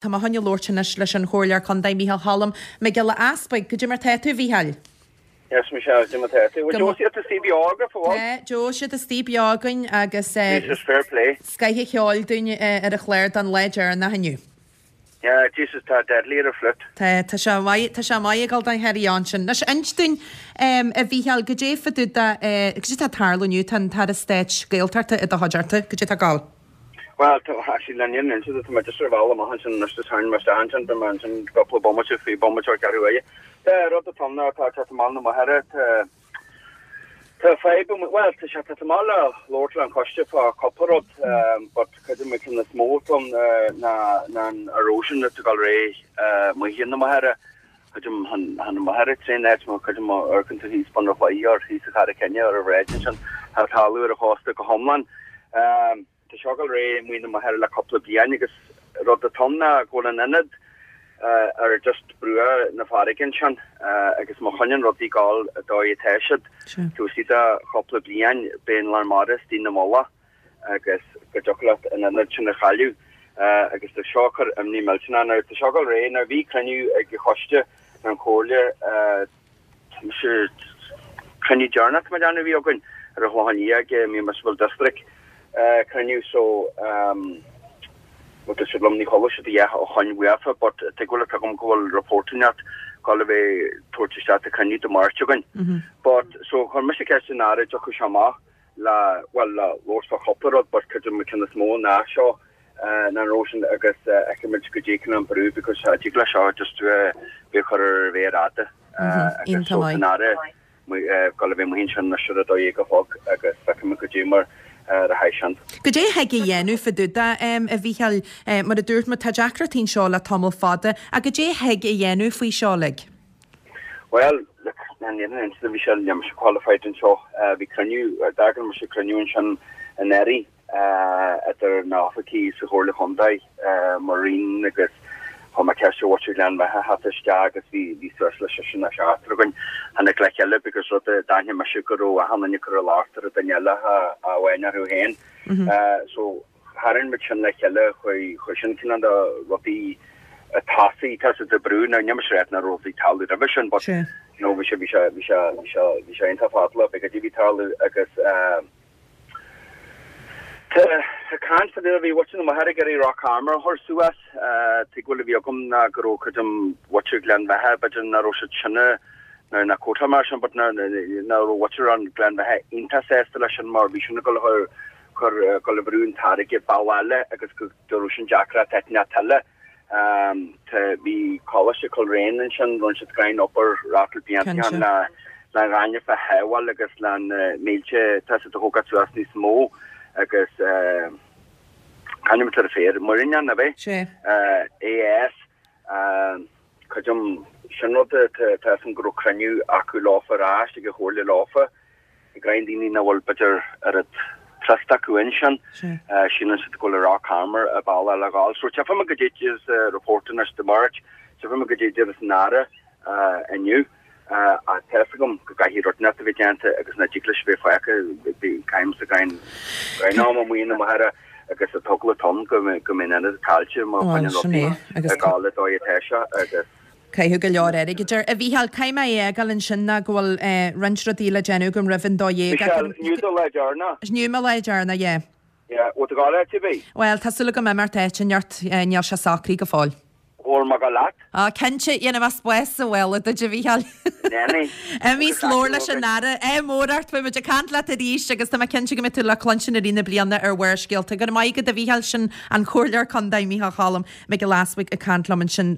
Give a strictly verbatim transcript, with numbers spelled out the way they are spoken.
Tá mé chun labhairt anois leis an Chomhairleoir Contae Micheál Cholm Mac Giolla Easpaig. Goidé mar tá tú, a Mhícheáil? Yes, Michelle, goidé mar tá tú. Bhfuil Joe siad istigh beo agaibh, an bhfuil? Tá Joe siad istigh beo againn agus Jesus, fair play. scoth an cheoil dúinn ar an chlár don lá deireanach inniu. Yeah, Jesus, tá deadly ar an flute. Tá tá sé maith tá sé maith ag dul don carry on sin. Anois inis dúinn a Mhícheáil, goidé fá dtaobh de goidé tá ag tarlú inniu, tá an tAire Stáit Gaeltachta i do chuideachta, goidé tá ag gabháil? Bhuel, tá, actually, le níl inse tá mé just ar bhealach amach ansin anois just tharraing mé isteach ansin, beidh mé ansin cúpla bomaite faoi bomaite or ceathrú uaire. Tá rud atá ann ná tá teacht amach na Machaire, tá tá fadhb amuigh, bhuel, tá sé teacht amach le labhairt le an choiste fá cúpla rud, but cuid de na cinn is mó atá ann ná ná an erosion atá ag dul ar aghaidh amuigh na Machaire, cuid de na Machaire tréan áit mar cuid de mo amharcann tú thíos bun ar chlaí or thíos sa Charraig Chinne ar an bhráid ansin, tá talamh ar an chósta go hiomlán. Tá seo ag dul ar aghaidh amuigh na Machaire le cúpla bliain agus rud atá ann ná go bhfuil an ionad ar just bruach na farraige ansin agus má choinníonn rudaí ag gabháil an dóigh atá siad, taobh istigh de chúpla bliain beidh an lár mara istigh ina mullach agus go dtiocfadh leat an ionad sin a chailleadh agus tá seo ag cur imní millteanach. Now tá seo ag dul ar aghaidh, now bhí cruinniú ag an choiste an chomhairle, Tá mise cruinniú deireanach tá mé ag déanamh a bhí againn ar an Chlochán Liath ag Municipal District cruinniú so bhuel dúirt siad liom ní chuala siad a dhath ó shoin uafa but tuig bhfuil a fhios agam go bhfuil report inteacht ag dul a bheith tabhairt isteach do cruinniú Dé Máirt againn but so chuir mise ceist an Aire dtiocfadh sé amach le bhuel le labhairt fá chúpla rud but cuid de na cinn is mó ná seo ná an erosion agus fheicfimid goidé cineál an brú because tig leis seo just bheith chur ar a mhéar fhada agus so tá an Aire ag dul a bheith amuigh ansin anois ar a dó dhéag a chlog agus feicfimid goidé mar a théann sin. Goidé a thig a dhéanamh fá dtaobh de, a Mhícheáil, mar a dúirt mé tá deacrachtaí anseo le tamall fada, ach goidé a thig a dhéanamh faoi seo uilig? Bhuel, look, ní an bhí sé níl mise qualified anseo, bhí cruinniú, d'eagraigh mise cruinniú ansin anuraidh idir na hoifigigh sa Chomhairle Chontae, mo roinn agus chuir mé ceist ar mhuintir Ghleann Bheatha theacht isteach agus bhí bhí suas le seisear nó seachtar againn. Tháinig le chéile because rud a d'aithnigh mise go raibh achan duine ag cur an locht ar an duine eile ach amháin orthu féin. So tharraing muid sin le chéile, chuir chuir sin cineál de rudaí a tosaigh, tá siad ag brú, now níl mise ag rá nach raibh rudaí ag tarlú roimhe sin but you know bhí sé bhí sé bhí sé bhí sé bhí sé iontach fada le b'fhéidir bhí tarlú agus Tá caint fá dtaobh, bhí muintir na Machaire ag iarraidh Rock Armour a chur suas. Tuigbheáil a bhí agam ná go raibh cuid de mhuintir Ghleann Bheatha, b'fhéidir nach raibh siad sin now ná quote mar sin but nach raibh muintir an Ghleann Bheatha iontach sásta leis sin mar bhí sin ag dul a chur cur dul a bhrú an t-airgead bealach eile agus go raibh sin deacracht inteacht eile. Tá bhí Coláiste Coleraine ansin, rinne siad greim obair ratal blianta le le an ghaineamh a shábháil agus le na mílte tá siad a thógáil suas níos mó agus c'ainm atá ar an féar, Muirneán, ab é? Sé. AS, creidim, sin rud tá a fhios agam go raibh cruinniú acu leofa ar ais ag an Chomhairle leofa. Ag roinnt daoine nach bhfuil b'fhéidir oiread trust acu ansin, síleann siad go bhfuil an Rock Armour an bealach le dhul. So tchífidh muid goidé déarfas an report anois Dé Máirt, tchífidh muid goidé déarfas an Aire inniu. Ach tá fhios agam go gcaithfidh rud inteacht a bheith déanta agus nach dtig leis a bheith fágtha, caithfidh sa gcain am amuigh na Machaire agus an t-eagla atá ann go mbeidh an ionad caillte má choinníonn rudaí ag gabháil an dóigh atá sé agus. Caitheadh go leor airgid air. A Mhícheáil, caithfidh mé é a fhágáil ansin ná go bhfuil roinnt rudaí le déanamh agam roimh an dó dhéag. Michelle, inniu do lá deireanach. Inniu mo lá deireanach, yeah. Yeah, bhfuil tú ag gabháil áit ar bith? Bhuel, tá súil agam imeacht áit inteacht, níl sé socraithe go fóill. Bhfuil mé ag gabháil leat? Á, cinnte, dhéanfaidh mé spás sa mhála duit, a Mhícheáil. Nanny. Imigh 's labhair leis an Aire. Ádh mór ort, beidh muid ag caint leat arís agus tá mé cinnte go mbeidh tú le cluinstin i rith na bliana ar Bharrscéalta. Go raibh maith agat, a Mhícheáil, sin an Comhairleoir Contae Mícheál Cholm Mac Giolla Easbuig ag caint liom ansin.